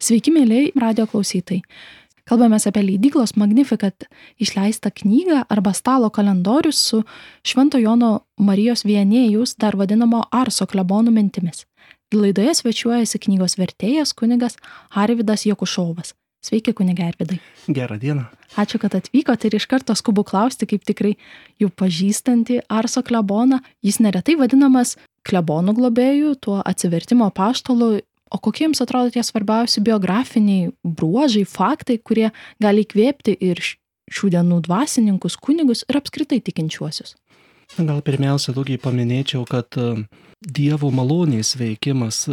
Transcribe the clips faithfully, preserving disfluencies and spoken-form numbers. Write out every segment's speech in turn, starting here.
Sveiki, mėlyjei radio klausytojai. Kalbamės apie leidyklos Magnificat išleistą knygą arba stalo kalendorius su Švento Jono Marijos Viannėjaus, dar vadinamo Arso klebonų mintimis. Laidoje svečiuojasi knygos vertėjas kunigas Arvydas Jokušovas. Sveiki, kunigai Arvydai. Gerą dieną. Ačiū, kad atvykote ir iš karto skubu klausti, kaip tikrai jau pažįstantį Arso kleboną. Jis neretai vadinamas klebonų globėjų, tuo atsivertimo apaštalu. O kokie jums atrodo tie svarbiausi biografiniai bruožai, faktai, kurie gali įkvėpti ir šių dienų dvasininkus, kunigus ir apskritai tikinčiuosius? Gal pirmiausia, tokį paminėčiau, kad Dievo malonės veikimas,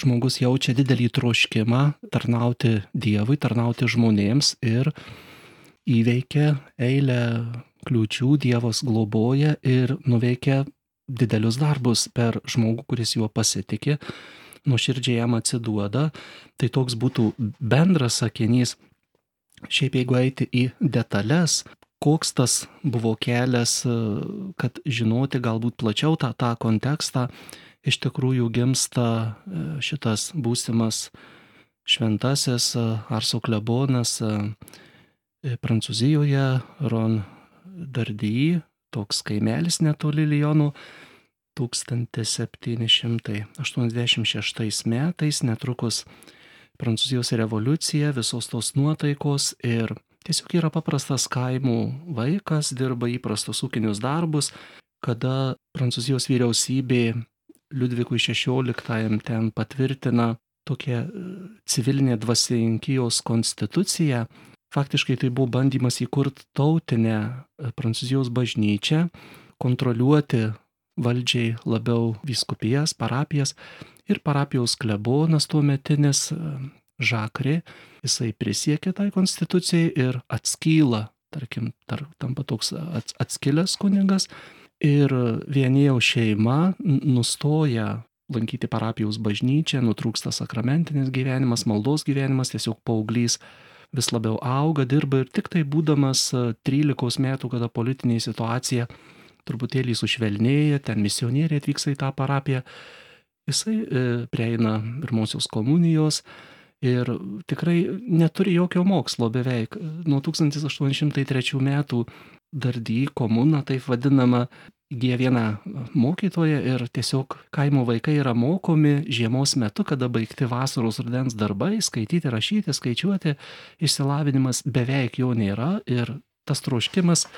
žmogus jaučia didelį troškimą tarnauti Dievui, tarnauti žmonėms ir įveikia eilę kliūčių, Dievas globoja ir nuveikia didelius darbus per žmogų, kuris juo pasitikė, nuoširdžiai jam atsiduoda. Tai toks būtų bendras sakinys. Šiaip jeigu eiti į detalės, koks tas buvo kelias, kad žinoti galbūt plačiau tą, tą kontekstą, iš tikrųjų gimsta šitas būsimas šventasis Arso klebonas Prancūzijoje, Ron Dardy, toks kaimelis netoli Liono, tūkstantis septyni šimtai aštuoniasdešimt šeštais metais, netrukus Prancūzijos revoliucija, visos tos nuotaikos ir tiesiog yra paprastas kaimų vaikas, dirba įprastus ūkinius darbus, kada Prancūzijos vyriausybė Liudvikui šešioliktajam ten patvirtina tokią civilinę dvasininkijos konstituciją. Faktiškai tai buvo bandymas įkurti tautinę Prancūzijos bažnyčią, kontroliuoti valdžiai labiau vyskupijas, parapijas ir parapijos klebonas tuometinis Žakrė, jisai prisiekė tai konstitucijai ir atskyla, tarkim, tar, tampa toks atskilęs kunigas ir Viannėjaus šeima nustoja lankyti parapijos bažnyčią, nutrūksta sakramentinis gyvenimas, maldos gyvenimas, tiesiog paauglys vis labiau auga, dirba ir tik tai būdamas trylikos metų, kada politinė situacija truputėlį sušvelnėja, ten misionieriai atvyksta į tą parapiją, jisai e, prieina pirmosios komunijos ir tikrai neturi jokio mokslo beveik. Nuo tūkstantis aštuoni šimtai trečių metų Dardy komuna, taip vadinama, įgyja vieną mokytoją ir tiesiog kaimo vaikai yra mokomi žiemos metu, kada baigti vasaros rudens darbai, skaityti, rašyti, skaičiuoti, išsilavinimas beveik jo nėra ir tas troškimas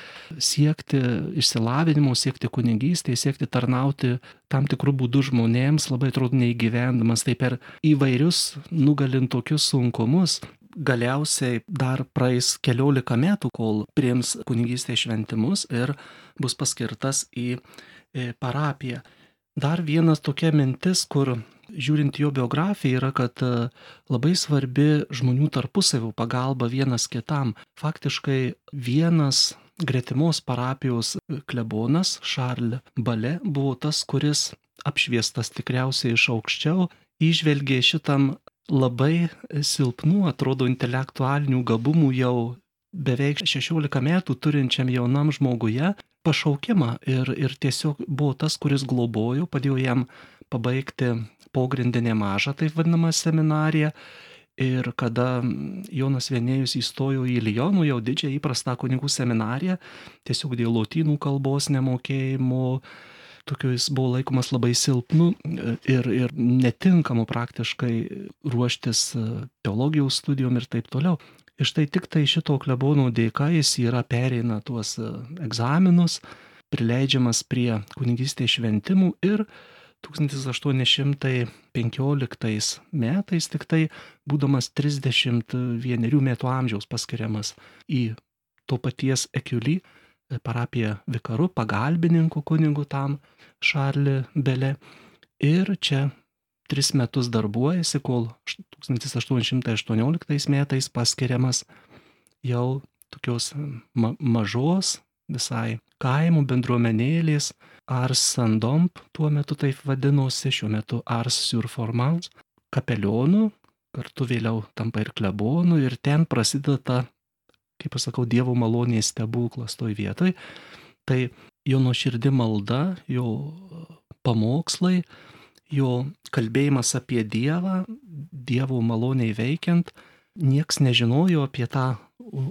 siekti išsilavinimo, siekti kunigystės, siekti tarnauti tam tikrų būdų žmonėms labai atrodo neįgyvendamas. Tai per įvairius nugalint tokius sunkumus galiausiai dar praeis keliolika metų, kol priims kunigystės šventimus ir bus paskirtas į parapiją. Dar vienas tokia mintis, kur žiūrint jo biografiją, yra, kad labai svarbi žmonių tarpusavio pagalba vienas kitam. Faktiškai vienas gretimos parapijos klebonas, Charles Ballet, buvo tas, kuris apšviestas tikriausiai iš aukščiau, įžvelgė šitam labai silpnų, atrodo, intelektualinių gabumų jau beveik šešiolika metų turinčiam jaunam žmoguje pašaukimą ir, ir tiesiog buvo tas, kuris globojo, padėjo jam pabaigti pogrindinę mažą, taip vadinamą seminariją. Ir kada Jonas Viannėjus įstojo į Liono, jau didžiąją įprastą kunigų seminariją, tiesiog dėl lotynų kalbos nemokėjimo, tokiu jis buvo laikomas labai silpnu ir, ir netinkamu praktiškai ruoštis teologijos studijom ir taip toliau. Ir štai tik tai šito klebono dėka jis yra pereina tuos egzaminus, prileidžiamas prie kunigystės šventimų ir tūkstantis aštuoni šimtai penkioliktais metais tik tai būdamas trisdešimt vienerių metų amžiaus paskiriamas į to paties Ekiulį parapiją vikaru, pagalbininku kunigu tam Charles Ballet. Ir čia tris metus darbuojasi, kol tūkstantis aštuoni šimtai aštuonioliktais metais paskiriamas jau tokios ma- mažos visai kaimų bendruomenėlės Ars Saint-Domp, tuo metu taip vadinosi, šiuo metu Ars sur Formans, kapelionu, kartu vėliau tampa ir klebonu ir ten prasideda ta, kaip aš sakau, Dievo malonės stebuklas toj vietoj. Tai jo nuoširdi malda, jo pamokslai, jo kalbėjimas apie Dievą, Dievo maloniai veikiant, nieks nežinojo apie tą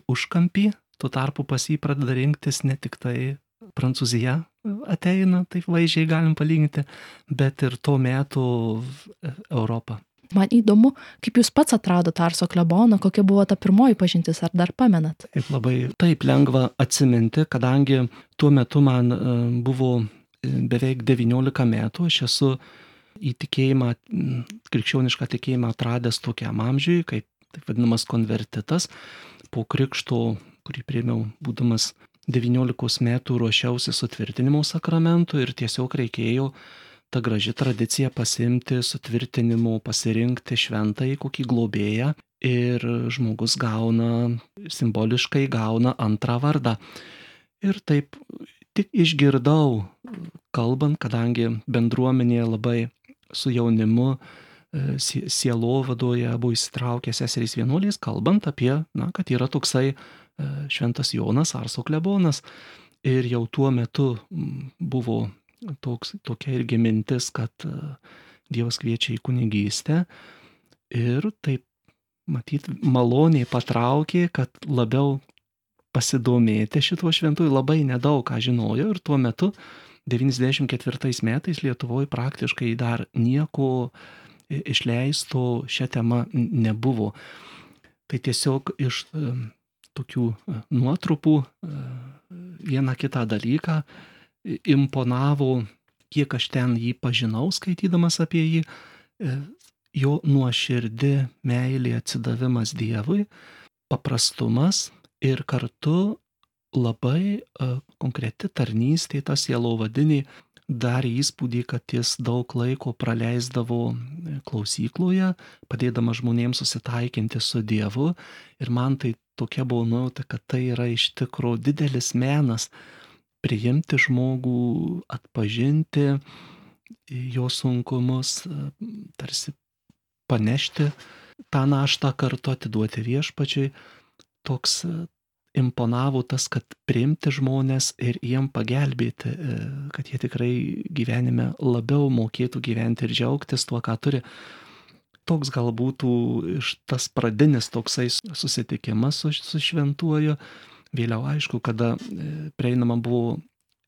užkampį, tuo tarpu pas jį pradeda rinktis ne tik tai Prancūzija ateina, taip vaizdžiai galim palyginti, bet ir to metų Europą. Man įdomu, kaip jūs pats atradote Arso kleboną, kokia buvo ta pirmoji pažintis, ar dar pamenat? Taip labai taip lengva atsiminti, kadangi tuo metu man buvo beveik devyniolika metų, aš esu į tikėjimą, krikščionišką tikėjimą atradęs tokiam amžiui, kaip taip vadinamas konvertitas. Po krikšto, kurį priėmiau būdamas devyniolikos metų, ruošiausi sutvirtinimo sakramentų ir tiesiog reikėjo ta graži tradicija pasiimti sutvirtinimo, pasirinkti šventąjį kokį globėją ir žmogus gauna, simboliškai gauna antrą vardą. Ir taip tik išgirdau kalbant, kadangi bendruomenėje labai su jaunimu sielovadoje buvo įsitraukę seserys vienuolės, kalbant apie, na, kad yra toksai šventas Jonas, Arso klebonas. Ir jau tuo metu buvo toks, tokia irgi mintis, kad Dievas kviečia į kunigystę. Ir taip, matyt, maloniai patraukė, kad labiau pasidomėti šituo šventuoju, labai nedaug ką žinojo. Ir tuo metu, devyniasdešimt ketvirtais metais, Lietuvoje praktiškai dar nieko išleisto šią temą nebuvo. Tai tiesiog iš tokių nuotrupų vieną kitą dalyką imponavo, kiek aš ten jį pažinau, skaitydamas apie jį, jo nuoširdi meilė, atsidavimas Dievui, paprastumas ir kartu labai konkreti tarnystė, tas sielovadinė, darė įspūdį, kad jis daug laiko praleisdavo klausykloje, padėdama žmonėms susitaikinti su Dievu. Ir man tai tokia buvo nuojauta, kad tai yra iš tikro didelis menas priimti žmogų, atpažinti jo sunkumus, tarsi panešti tą naštą kartu, atiduoti viešpačiui. Toks imponavo tas, kad priimti žmonės ir jiem pagelbėti, kad jie tikrai gyvenime labiau mokėtų gyventi ir džiaugtis tuo, ką turi. Toks gal būtų iš tas pradinis toksai susitikimas su, su šventuoju. Vėliau aišku, kada prieinama buvo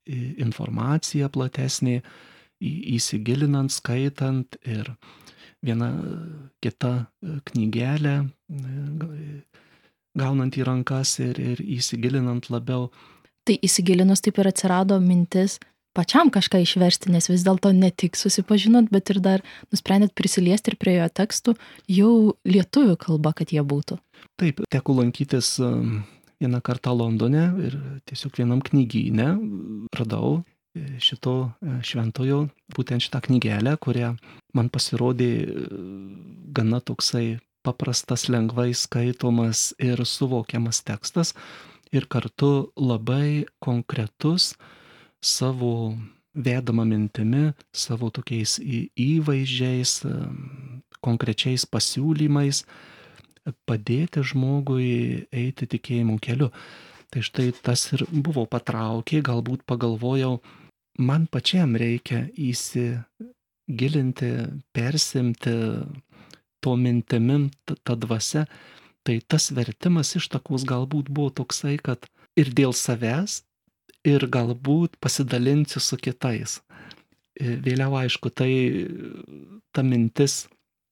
informacija platesnė, įsigilinant, skaitant ir viena kita knygelė, gaunant į rankas ir, ir įsigilinant labiau. Tai įsigilinus taip ir atsirado mintis pačiam kažką išversti, nes vis dėlto ne tik susipažinot, bet ir dar nusprendėt prisiliesti ir prie jo tekstų jau lietuvių kalba, kad jie būtų. Taip, teko lankytis vieną kartą Londone ir tiesiog vienam knygyne radau šito šventojo, būtent šitą knygelę, kurią man pasirodė gana toksai paprastas, lengvai skaitomas ir suvokiamas tekstas ir kartu labai konkretus savo vedama mintimi, savo tokiais įvaizdžiais, konkrečiais pasiūlymais padėti žmogui eiti tikėjimo keliu. Tai štai tas ir buvo patraukė, galbūt pagalvojau, man pačiam reikia įsigilinti, persimti to mintimim, ta dvasia. Tai tas vertimas ištakos galbūt buvo toksai, kad ir dėl savęs, ir galbūt pasidalinti su kitais. Vėliau aišku, tai ta mintis,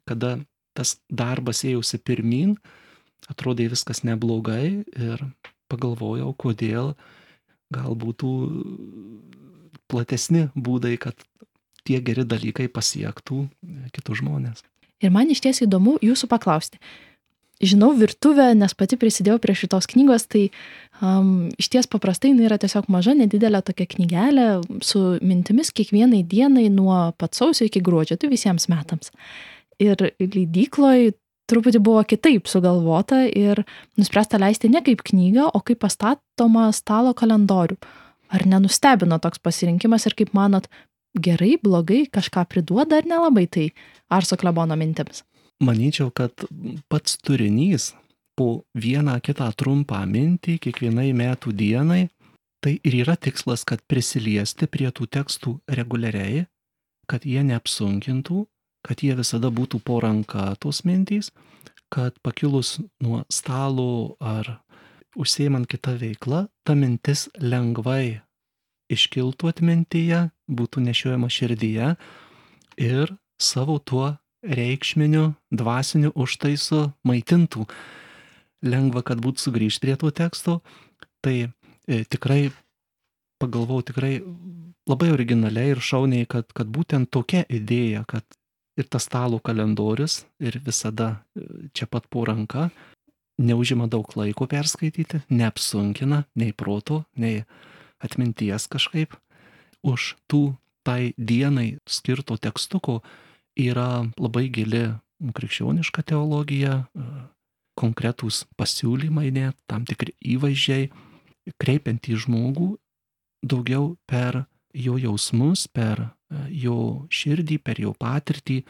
kada tas darbas ėjusi pirmin, atrodė viskas neblogai ir pagalvojau, kodėl galbūt platesni būdai, kad tie geri dalykai pasiektų kitus žmonės. Ir man iš ties įdomu jūsų paklausti. Žinau virtuvę, nes pati prisidėjau prie šitos knygos, tai um, iš ties paprastai jinai yra tiesiog maža, nedidelė tokia knygelė su mintimis kiekvienai dienai nuo pat sausio iki gruodžio, tai visiems metams. Ir leidykloj truputį buvo kitaip sugalvota ir nuspręsta leisti ne kaip knygą, o kaip pastatomą stalo kalendorių. Ar nenustebino toks pasirinkimas ir kaip manot, gerai, blogai, kažką priduoda ar nelabai tai Arso klebono mintims? Manyčiau, kad pats turinys po vieną kitą trumpą mintį kiekvienai metų dienai, tai ir yra tikslas, kad prisiliesti prie tų tekstų reguliariai, kad jie neapsunkintų, kad jie visada būtų po ranka tos mintys, kad pakilus nuo stalo ar užsiimant kitą veiklą, ta mintis lengvai iškiltų atmintyje, būtų nešiojama širdyje ir savo tuo reikšminiu, dvasiniu užtaisu maitintų. Lengva, kad būtų sugrįžti prie to teksto, tai e, tikrai pagalvojau, tikrai labai originaliai ir šauniai, kad, kad būtent tokia idėja, kad ir tas stalo kalendorius ir visada čia pat po ranka neužima daug laiko perskaityti, neapsunkina nei proto, nei atminties kažkaip. Už tų tai dienai skirto tekstuko yra labai gili krikščioniška teologija, konkretūs pasiūlymai, net tam tikri įvaizdžiai, kreipiant į žmogų daugiau per jo jausmus, per jo širdį, per jo patirtį,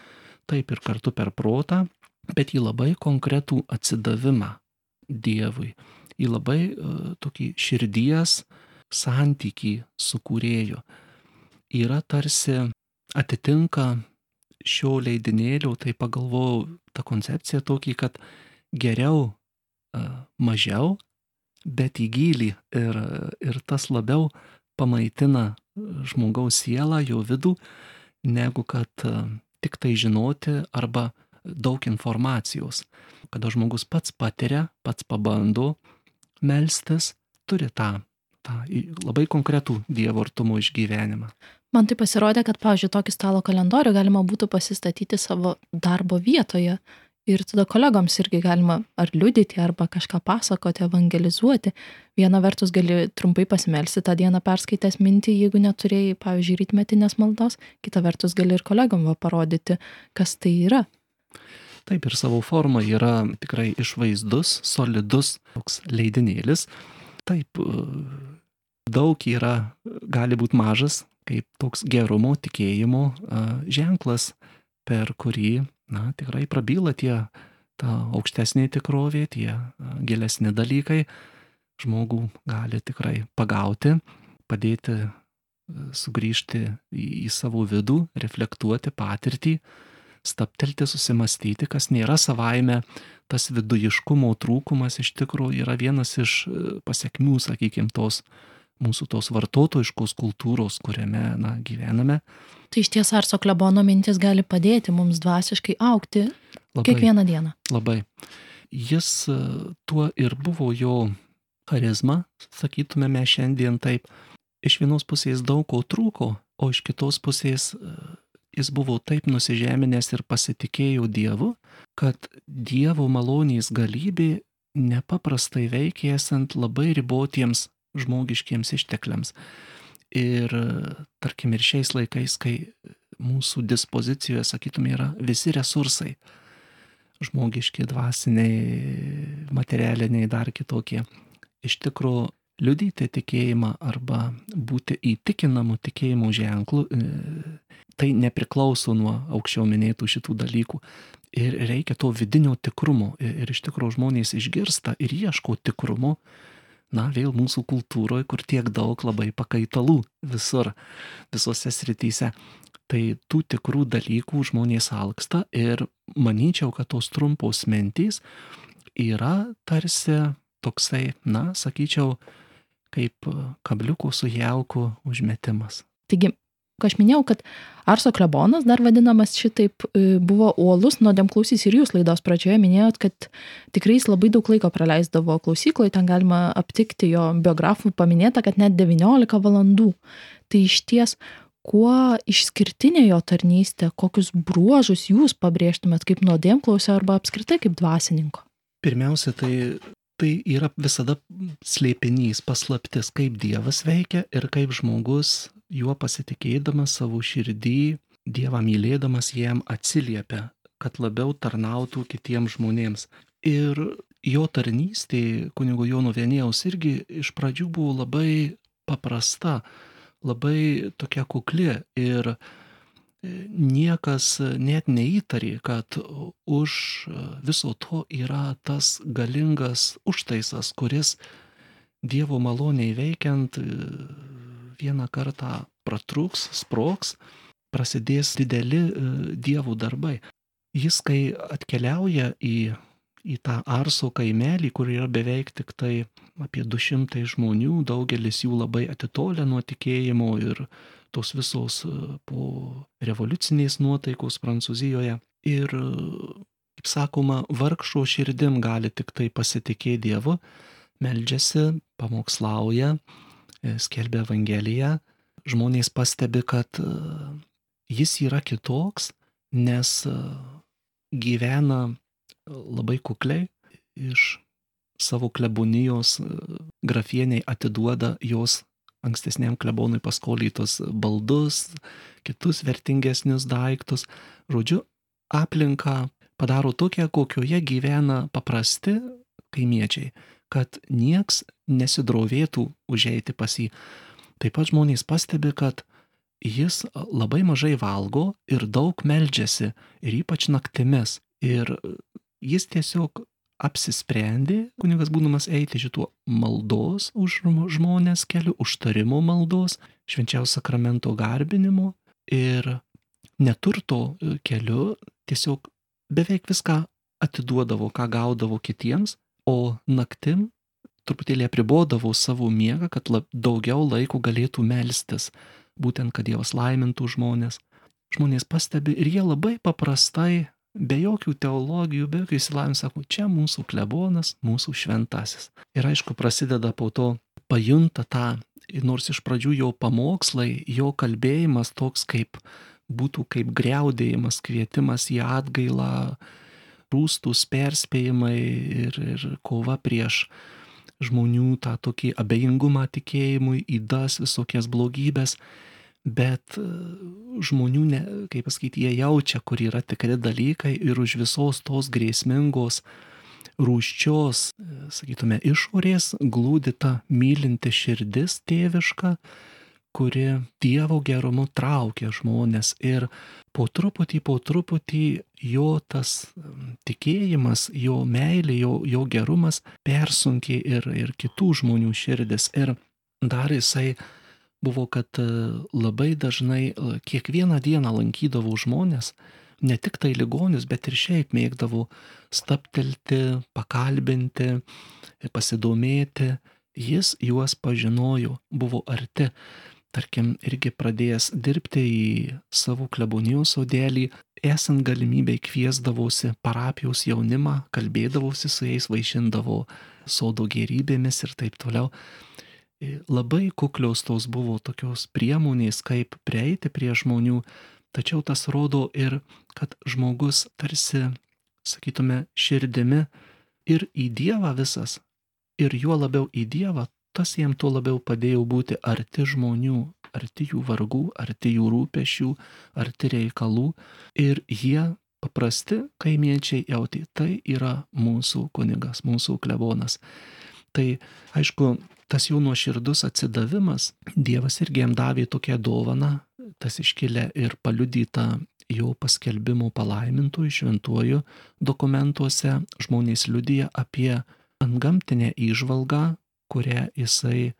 taip ir kartu per protą, bet į labai konkretų atsidavimą Dievui, į labai uh, tokį širdies santykį su kūrėju. Yra tarsi atitinka šio leidinėlio, tai pagalvojau tą koncepciją tokį, kad geriau uh, mažiau, bet į gylį ir, ir tas labiau pamaitina žmogaus sielą, jo vidų, negu kad uh, tik tai žinoti arba daug informacijos. Kada žmogus pats patiria, pats pabando melstis, turi tą, tą labai konkretų Dievo artumo išgyvenimą. Man tai pasirodė, kad, pavyzdžiui, tokį stalo kalendorių galima būtų pasistatyti savo darbo vietoje ir tada kolegoms irgi galima ar liudyti, arba kažką pasakoti, evangelizuoti. Viena vertus gali trumpai pasimelsti tą dieną perskaitęs mintį, jeigu neturėjai, pavyzdžiui, rytmetinės maldos, kita vertus gali ir kolegom va parodyti, kas tai yra. Taip, ir savo forma yra tikrai išvaizdus, solidus toks leidinėlis. Taip, daug yra, gali būti mažas, kaip toks gerumo, tikėjimo ženklas, per kurį, na, tikrai prabyla tie, ta aukštesnė tikrovė, tie gilesni dalykai. Žmogų gali tikrai pagauti, padėti sugrįžti į, į savo vidų, reflektuoti patirtį, staptelti, susimastyti, kas nėra savaime, tas vidujiškumo trūkumas iš tikrųjų yra vienas iš pasekmių, sakykime, tos mūsų tos vartotojiškos kultūros, kuriame, na, gyvename. Tai iš ties Arso klebono mintis gali padėti mums dvasiškai augti labai, kiekvieną dieną. Labai. Jis tuo ir buvo jo charizma, sakytumėme šiandien taip. Iš vienos pusės daug ko trūko, o iš kitos pusės jis buvo taip nusižeminęs ir pasitikėjo Dievu, kad Dievo malonės galybė nepaprastai veikia esant labai ribotiems žmogiškiems ištekliams. Ir tarkim ir šiais laikais, kai mūsų dispozicijoje, sakytume, yra visi resursai, žmogiški, dvasiniai, materialiniai, dar kitokie, iš tikrųjų liudyti tikėjimą arba būti įtikinamu tikėjimo ženklu, tai nepriklauso nuo aukščiau minėtų šitų dalykų. Ir reikia to vidinio tikrumo. Ir iš tikrųjų žmonės išgirsta ir ieško tikrumo, na, vėl mūsų kultūroje, kur tiek daug labai pakaitalų visur, visose srityse. Tai tų tikrų dalykų žmonės alksta ir manyčiau, kad tos trumpos mintys yra tarsi toksai, na, sakyčiau, kaip kabliuko su jauku užmetimas. Taigi, aš minėjau, kad Arso klebonas, dar vadinamas šitaip, buvo uolus, nuodėmklausys ir jūs laidos pradžioje minėjot, kad tikrai jis labai daug laiko praleisdavo klausykloje, ten galima aptikti jo biografų paminėta, kad net devyniolika valandų. Tai iš ties, kuo išskirtinė jo tarnystė, kokius bruožus jūs pabrėžtumėt kaip nuodėmklausio arba apskritai kaip dvasininko? Pirmiausia, tai Tai yra visada slėpinys, paslaptis, kaip Dievas veikia ir kaip žmogus juo pasitikėdamas savo širdį, Dievą mylėdamas jam atsiliepia, kad labiau tarnautų kitiems žmonėms. Ir jo tarnystė kunigo Jono Vienijaus irgi iš pradžių buvo labai paprasta, labai tokia kukli ir niekas net neįtarė, kad už viso to yra tas galingas užtaisas, kuris Dievo maloniai veikiant vieną kartą pratrūks, sprogs prasidės dideli dievų darbai. Jis, kai atkeliauja į, į tą Arso kaimelį, kur yra beveik tik tai apie du šimtai žmonių, daugelis jų labai atitolę nuo tikėjimo ir tos visos po revoliucinės nuotaikos Prancūzijoje. Ir, kaip sakoma, vargšo širdim gali tik tai pasitikėti Dievu, meldžiasi, pamokslauja, skelbia Evangeliją. Žmonės pastebi, kad jis yra kitoks, nes gyvena labai kukliai, iš savo klebonijos grafieniai atiduoda jos ankstesniam klebonui paskolytos baldus, kitus vertingesnius daiktus. Žodžiu, aplinką padaro tokią, kokioje gyvena paprasti kaimiečiai, kad nieks nesidrovėtų užeiti pas jį. Taip pat žmonės pastebi, kad jis labai mažai valgo ir daug meldžiasi, ir ypač naktimis. Ir jis tiesiog apsisprendė, kunigas būdamas, eiti šituo maldos už žmonės keliu, užtarimo maldos, švenčiausio sakramento garbinimo ir neturto keliu tiesiog beveik viską atiduodavo, ką gaudavo kitiems, o naktim truputėlį apribodavo savo miegą, kad lab, daugiau laiko galėtų melstis, būtent, kad Dievas laimintų žmonės. Žmonės pastebi ir jie labai paprastai, be jokių teologijų, be jokių įsilavinimų, sako, čia mūsų klebonas, mūsų šventasis. Ir aišku, prasideda po to, pajunta tą, nors iš pradžių jo pamokslai, jo kalbėjimas toks kaip būtų kaip griaudėjimas, kvietimas į atgailą, rūstus perspėjimai ir, ir kova prieš žmonių tą tokį abejingumą tikėjimui, įdas, visokias blogybės, bet žmonių, ne, kaip pasakyti, jie jaučia, kur yra tikri dalykai ir už visos tos grėsmingos, rūsčios, sakytume, išorės glūdi ta mylinti širdis tėviška, kuri Dievo gerumu traukia žmonės ir po truputį, po truputį jo tas tikėjimas, jo meilė, jo, jo gerumas persunkė ir, ir kitų žmonių širdis. Ir dar jisai buvo, kad labai dažnai kiekvieną dieną lankydavo žmonės, ne tik tai ligonius, bet ir šiaip mėgdavo staptelti, pakalbinti, pasidomėti. Jis juos pažinojo, buvo arti. Tarkim, irgi pradėjęs dirbti į savo klebonijos sodelį, esant galimybei kviesdavosi parapijos jaunimą, kalbėdavosi su jais, vaišindavo sodo gėrybėmis ir taip toliau. Labai kuklios tos buvo tokios priemonės, kaip prieiti prie žmonių, tačiau tas rodo ir, kad žmogus tarsi, sakytume, širdimi ir į Dievą visas, ir juo labiau į Dievą, tas jiem tuo labiau padėjo būti arti žmonių, arti jų vargų, arti jų rūpešių, arti reikalų. Ir jie paprasti kaimiečiai jauti, tai yra mūsų kunigas, mūsų klebonas. Tai aišku, tas jų nuoširdus atsidavimas, Dievas irgi jam davė tokią dovaną, tas iškilę ir paliudyta jo paskelbimo palaimintojų šventuoju dokumentuose. Žmonės liudija apie antgamtinę įžvalgą, kurią jisai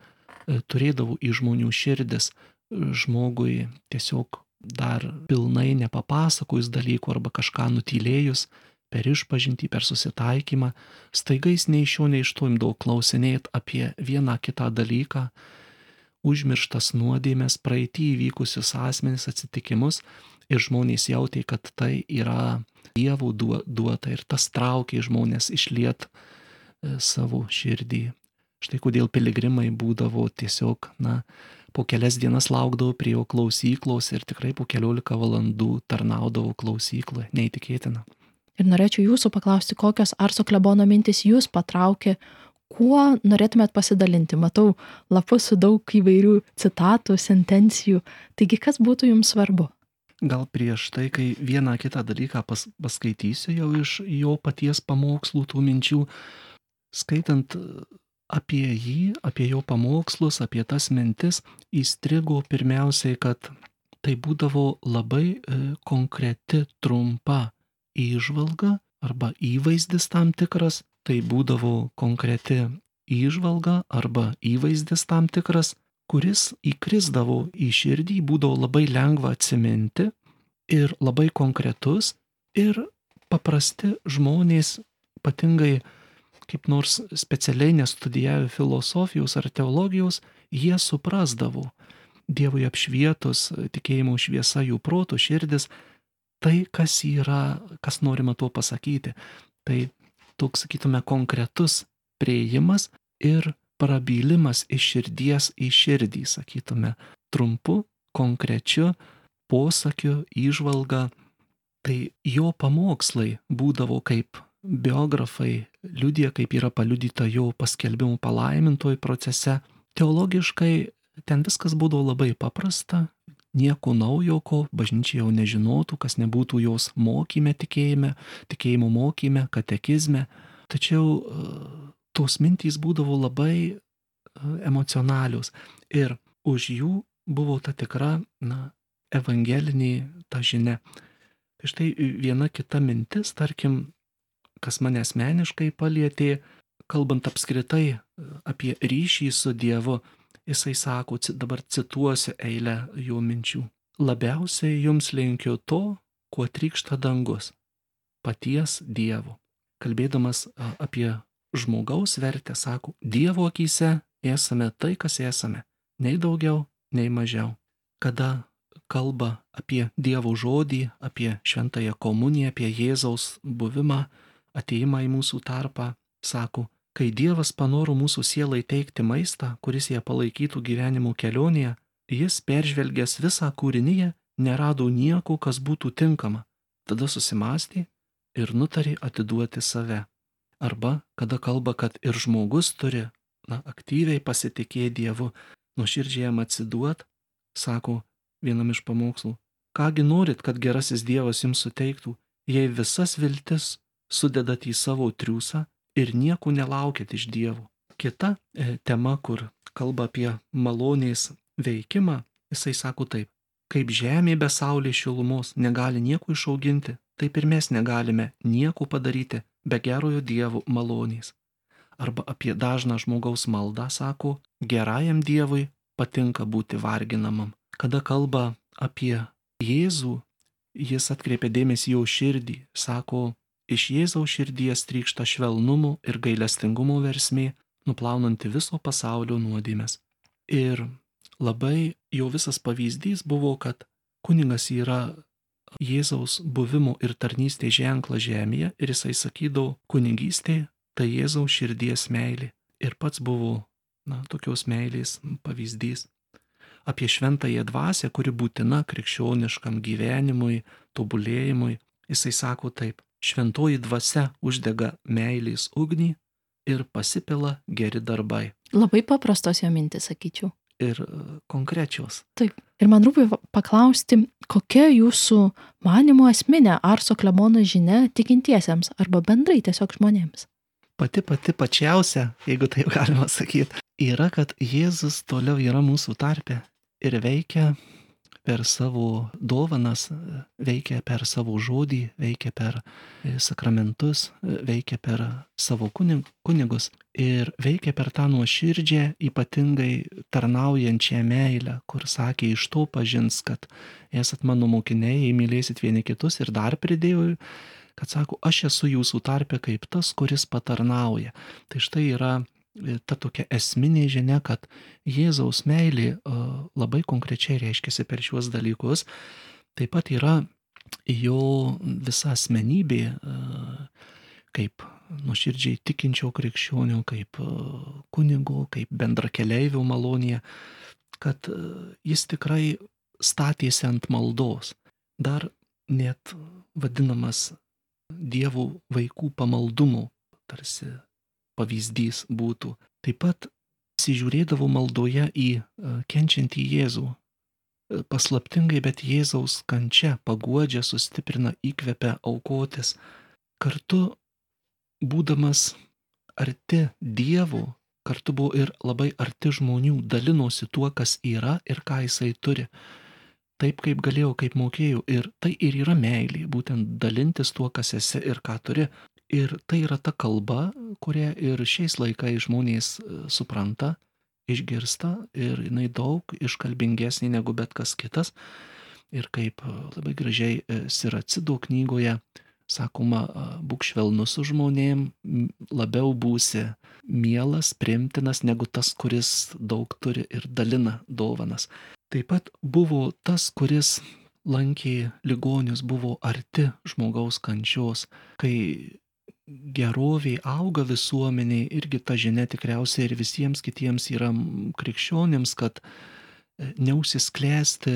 turėdavo į žmonių širdis, žmogui tiesiog dar pilnai nepapasakojus dalykų arba kažką nutylėjus, per išpažintį, per susitaikymą, staiga jis nei iš šio, nei iš to imdavo klausinėti apie vieną kitą dalyką, užmirštas nuodėmes, praeitį įvykusius asmenis, atsitikimus, ir žmonės jautė, kad tai yra Dievo duota ir tas traukė žmonės išliet savo širdį. Štai kodėl piligrimai būdavo tiesiog, na, po kelias dienas laukdavo prie jo klausyklos ir tikrai po keliolika valandų tarnaudavo klausykloje. Neįtikėtina. Ir norėčiau jūsų paklausti, kokios Arso klebono mintis jūs patraukė, kuo norėtumėt pasidalinti. Matau lapus su daug įvairių citatų, sentencijų. Taigi, kas būtų jums svarbu? Gal prieš tai, kai vieną kitą dalyką pas, paskaitysiu jau iš jo paties pamokslų, tų minčių, skaitant apie jį, apie jo pamokslus, apie tas mintis, įstrigo pirmiausiai, kad tai būdavo labai e, konkreti, trumpa įžvalga arba įvaizdis tam tikras, tai būdavo konkreti įžvalga arba įvaizdis tam tikras, kuris įkrisdavo į širdį, būdavo labai lengva atsiminti ir labai konkretus ir paprasti žmonės, ypatingai kaip nors specialiai nestudijavę filosofijos ar teologijos, jie suprasdavo, Dievui apšvietus, tikėjimo šviesa jų proto širdis, tai kas yra, kas norima tuo pasakyti. Tai toks, sakytume, konkretus priėjimas ir prabylimas iš širdies į širdį, sakytume, trumpu, konkrečiu posakiu, įžvalga. Tai jo pamokslai būdavo kaip biografai liudija, kaip yra paliudyta jo paskelbimų palaimintojų procese. Teologiškai ten viskas būdavo labai paprasta, nieko naujo, ko bažnyčia jau nežinotų, kas nebūtų jos mokyme tikėjime, tikėjimo mokyme, katekizme. Tačiau tos mintys būdavo labai emocionalios ir už jų buvo ta tikra, na, evangelinė ta žinia. Tai štai viena kita mintis, tarkim, kas mane asmeniškai palietė, kalbant apskritai apie ryšį su Dievu, jisai sako, dabar cituosiu eilę jo minčių. Labiausiai jums linkiu to, kuo trykšta dangus, paties Dievo. Kalbėdamas apie žmogaus vertę, sako, Dievo akyse esame tai, kas esame, nei daugiau, nei mažiau. Kada kalba apie Dievo žodį, apie šventąją komuniją, apie Jėzaus buvimą, ateimą į mūsų tarpą, sako, kai Dievas panoro mūsų sielai teikti maistą, kuris ją palaikytų gyvenimo kelionėje, jis peržvelgęs visą kūriniją nerado nieko, kas būtų tinkama. Tada susimąstė ir nutarė atiduoti save. Arba kada kalba, kad ir žmogus turi, na, aktyviai pasitikėti Dievu, nuoširdžiai jam atsiduot, sako vienam iš pamokslų, kągi norit, kad gerasis Dievas jums suteiktų, jei visas viltis sudedat į savo triūsą ir nieko nelaukit iš Dievo. Kita e, tema, kur kalba apie malonės veikimą, jisai sako taip, kaip žemė be saulės šilumos negali nieko išauginti, taip ir mes negalime nieko padaryti be gerojo Dievo malonės. Arba apie dažną žmogaus maldą sako, gerajam Dievui patinka būti varginamam. Kada kalba apie Jėzų, jis atkreipia dėmesį jo širdį, sako, iš Jėzaus širdies trykšta švelnumo ir gailestingumo versmė, nuplaunanti viso pasaulio nuodėmes. Ir labai jo visas pavyzdys buvo, kad kunigas yra Jėzaus buvimo ir tarnystės ženklas žemėje ir jisai sakydavo, kunigystė tai Jėzaus širdies meilė. Ir pats buvo, na, tokios meilės pavyzdys. Apie šventąją dvasią, kuri būtina krikščioniškam gyvenimui, tobulėjimui, jisai sako taip, šventoji dvasia uždega meilės ugnį ir pasipila geri darbai. Labai paprastos jo mintis, sakyčiau. Ir konkrečios. Taip. Ir man rūpi paklausti, kokia jūsų manymo esminė Arso klebono žinia tikintiesiems arba bendrai tiesiog žmonėms? Pati pati pačiausia, jeigu taip galima sakyti, yra, kad Jėzus toliau yra mūsų tarpe ir veikia per savo dovanas, veikia per savo žodį, veikia per sakramentus, veikia per savo kunigus ir veikia per tą nuoširdžią, ypatingai tarnaujančią meilę, kur sakė, iš to pažins, kad esat mano mokiniai, mylėsit vieni kitus ir dar pridėjau, kad sako, aš esu jūsų tarpe kaip tas, kuris patarnauja. Tai štai yra ta tokia esminė žinia, kad Jėzaus meilė labai konkrečiai reiškiasi per šiuos dalykus. Taip pat yra jo visa asmenybė, kaip nuoširdžiai tikinčio krikščionio, kaip kunigo, kaip bendrakeleivio malonėje, kad jis tikrai statėsi ant maldos. Dar net vadinamas Dievo vaikų pamaldumo tarsi pavyzdys būtų. Taip pat pasižiūrėdavo maldoje į kenčiantį Jėzų. Paslaptingai, bet Jėzaus kančia paguodžia, sustiprina, įkvepia aukotis. Kartu būdamas arti Dievo, kartu buvo ir labai arti žmonių, dalinosi tuo, kas yra ir ką jisai turi. Taip, kaip galėjau, kaip mokėjau. Ir tai ir yra meilė, būtent dalintis tuo, kas esi ir ką turi. Ir tai yra ta kalba, kurią ir šiais laikais žmonės supranta. išgirsta ir jinai daug iškalbingesnė negu bet kas kitas. Ir kaip labai gražiai Siracido knygoje sakoma, būk švelnus su žmonėm, labiau būsi mielas, priimtinas negu tas, kuris daug turi ir dalina dovanas. Taip pat buvo tas, kuris lankė ligonius, buvo arti žmogaus kančios. Kai gerovė auga visuomeniai, irgi ta žinia tikriausiai ir visiems kitiems yra krikščionims, kad neužsisklęsti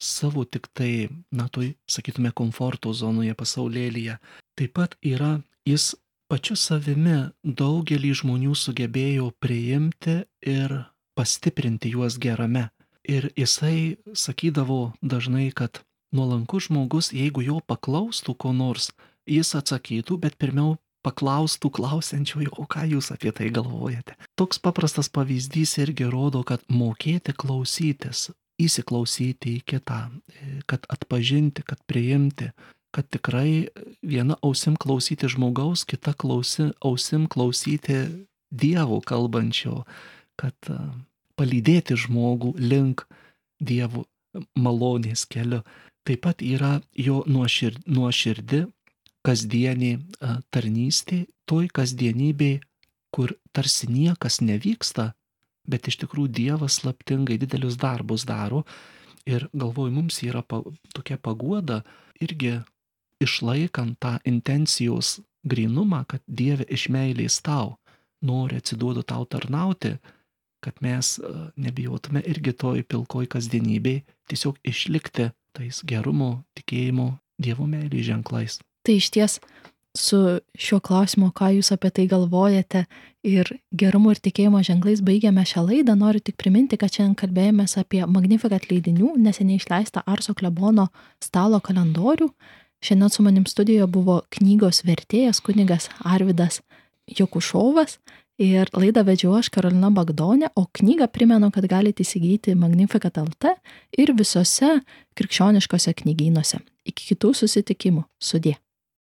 savo tik tai, na, toj, sakytume, komforto zonoje, pasaulėlyje. Taip pat yra, jis pačiu savimi daugelį žmonių sugebėjo priimti ir pastiprinti juos gerame. Ir jisai sakydavo dažnai, kad nuolankus žmogus, jeigu jo paklaustų ko nors, jis atsakytų, bet pirmiau paklaustų klausiančiųjų, o ką jūs apie tai galvojate. Toks paprastas pavyzdys irgi rodo, kad mokėti klausytis, įsiklausyti į kitą, kad atpažinti, kad priimti, kad tikrai viena ausim klausyti žmogaus, kita klausi, ausim klausyti Dievo kalbančio, kad palydėti žmogų link Dievo malonės keliu. Taip pat yra jo nuoširdi, nuoširdi kasdienį tarnystė, toj kasdienybėj, kur tarsi niekas nevyksta, bet iš tikrųjų Dievas slaptingai didelius darbus daro. Ir galvoju, mums yra pa, tokia paguoda irgi išlaikant tą intencijos grynumą, kad Dieve iš meilės tau nori atsiduodu tau tarnauti, kad mes nebijotume irgi toj pilkoj kasdienybėj tiesiog išlikti tais gerumo, tikėjimo, Dievo meilės ženklais. Tai iš ties su šiuo klausimu, ką jūs apie tai galvojate ir gerumo ir tikėjimo ženklais baigiame šią laidą. Noriu tik priminti, kad šiandien kalbėjomės apie Magnificat leidinių neseniai išleistą Arso klebono stalo kalendorių. Šiandien su manim studijoje buvo knygos vertėjas kunigas Arvydas Jokušovas ir laidą vedžiau aš Karolina Bagdonė, o knygą primenu, kad galite įsigyti Magnificat L T ir visose krikščioniškose knygynuose. Iki kitų susitikimų. Sudie.